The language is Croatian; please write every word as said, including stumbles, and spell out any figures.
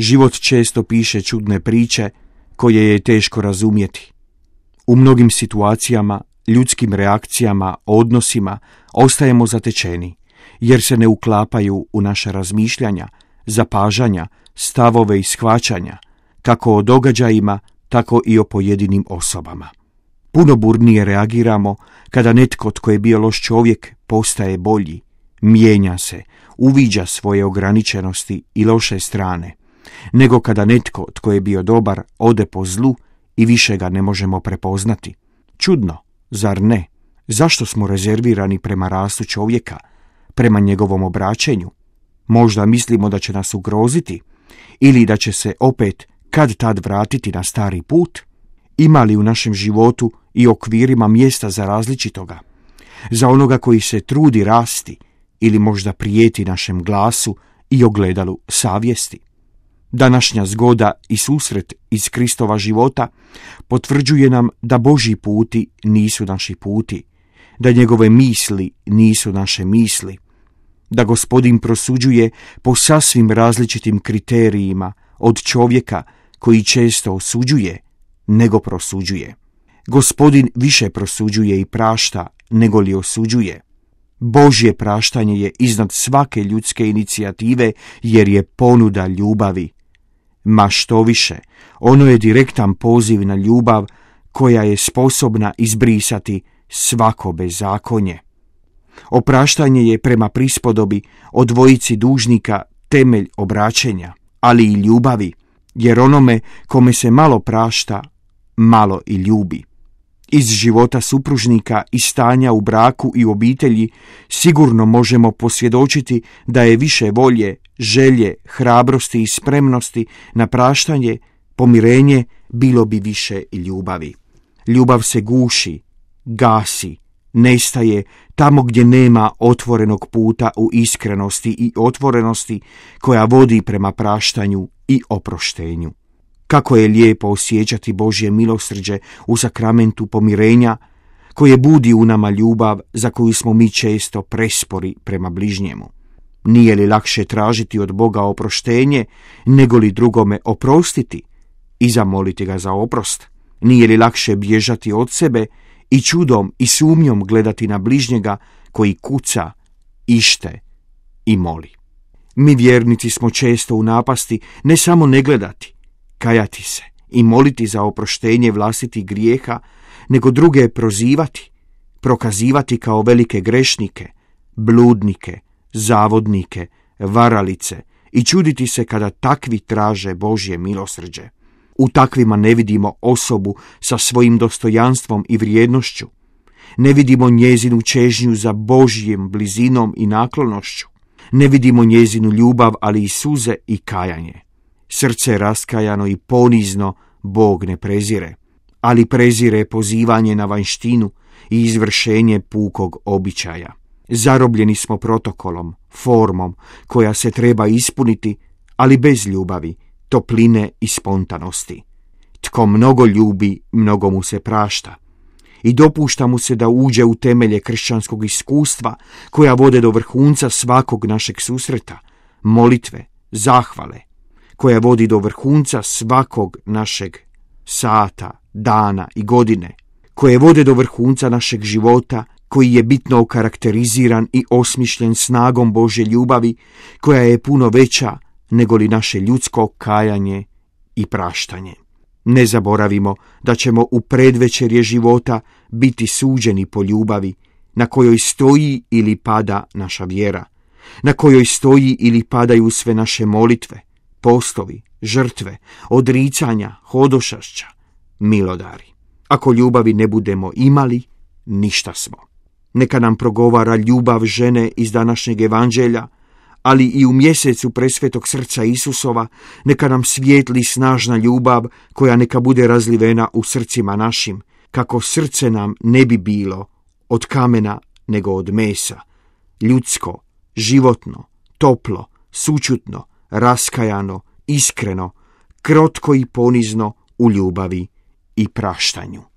Život često piše čudne priče koje je teško razumjeti. U mnogim situacijama, ljudskim reakcijama, odnosima ostajemo zatečeni, jer se ne uklapaju u naša razmišljanja, zapažanja, stavove i shvaćanja, kako o događajima, tako i o pojedinim osobama. Puno burnije reagiramo kada netko tko je bio loš čovjek postaje bolji, mijenja se, uviđa svoje ograničenosti i loše strane, nego kada netko tko je bio dobar ode po zlu i više ga ne možemo prepoznati. Čudno, zar ne? Zašto smo rezervirani prema rastu čovjeka, prema njegovom obraćenju? Možda mislimo da će nas ugroziti ili da će se opet kad tad vratiti na stari put? Ima li u našem životu i okvirima mjesta za različitoga? Za onoga koji se trudi rasti ili možda prijeti našem glasu i ogledalu savjesti? Današnja zgoda i susret iz Kristova života potvrđuje nam da Božji puti nisu naši puti, da njegove misli nisu naše misli, da Gospodin prosuđuje po sasvim različitim kriterijima od čovjeka koji često osuđuje nego prosuđuje. Gospodin više prosuđuje i prašta nego li osuđuje. Božje praštanje je iznad svake ljudske inicijative jer je ponuda ljubavi. Ma što više, ono je direktan poziv na ljubav koja je sposobna izbrisati svako bezakonje. Opraštanje je prema prispodobi o dvojici dužnika temelj obraćenja, ali i ljubavi, jer onome kome se malo prašta, malo i ljubi. Iz života supružnika i stanja u braku i obitelji sigurno možemo posvjedočiti da je više volje, želje, hrabrosti i spremnosti na praštanje, pomirenje, bilo bi više i ljubavi. Ljubav se guši, gasi, nestaje tamo gdje nema otvorenog puta u iskrenosti i otvorenosti koja vodi prema praštanju i oproštenju. Kako je lijepo osjećati Božje milosrđe u sakramentu pomirenja, koje budi u nama ljubav za koju smo mi često prespori prema bližnjemu. Nije li lakše tražiti od Boga oproštenje, nego li drugome oprostiti i zamoliti ga za oprost? Nije li lakše bježati od sebe i čudom i sumnjom gledati na bližnjega koji kuca, ište i moli? Mi vjernici smo često u napasti ne samo ne gledati, kajati se i moliti za oproštenje vlastitih grijeha, nego druge prozivati, prokazivati kao velike grešnike, bludnike, zavodnike, varalice i čuditi se kada takvi traže Božje milosrđe. U takvima ne vidimo osobu sa svojim dostojanstvom i vrijednošću. Ne vidimo njezinu čežnju za Božjim blizinom i naklonošću. Ne vidimo njezinu ljubav, ali i suze i kajanje. Srce raskajano i ponizno Bog ne prezire, ali prezire pozivanje na vanjštinu i izvršenje pukog običaja. Zarobljeni smo protokolom, formom koja se treba ispuniti, ali bez ljubavi, topline i spontanosti. Tko mnogo ljubi, mnogo mu se prašta i dopušta mu se da uđe u temelje kršćanskog iskustva koja vode do vrhunca svakog našeg susreta, molitve, zahvale, koja vodi do vrhunca svakog našeg sata, dana i godine, koje vode do vrhunca našeg života, koji je bitno okarakteriziran i osmišljen snagom Božje ljubavi, koja je puno veća nego li naše ljudsko kajanje i praštanje. Ne zaboravimo da ćemo u predvečerje života biti suđeni po ljubavi, na kojoj stoji ili pada naša vjera, na kojoj stoji ili padaju sve naše molitve, postovi, žrtve, odricanja, hodošašća, milodari. Ako ljubavi ne budemo imali, ništa smo. Neka nam progovara ljubav žene iz današnjeg evanđelja, ali i u mjesecu presvetog srca Isusova, neka nam svijetli snažna ljubav koja neka bude razlivena u srcima našim, kako srce nam ne bi bilo od kamena nego od mesa, ljudsko, životno, toplo, sućutno, raskajano, iskreno, krotko i ponizno u ljubavi i praštanju.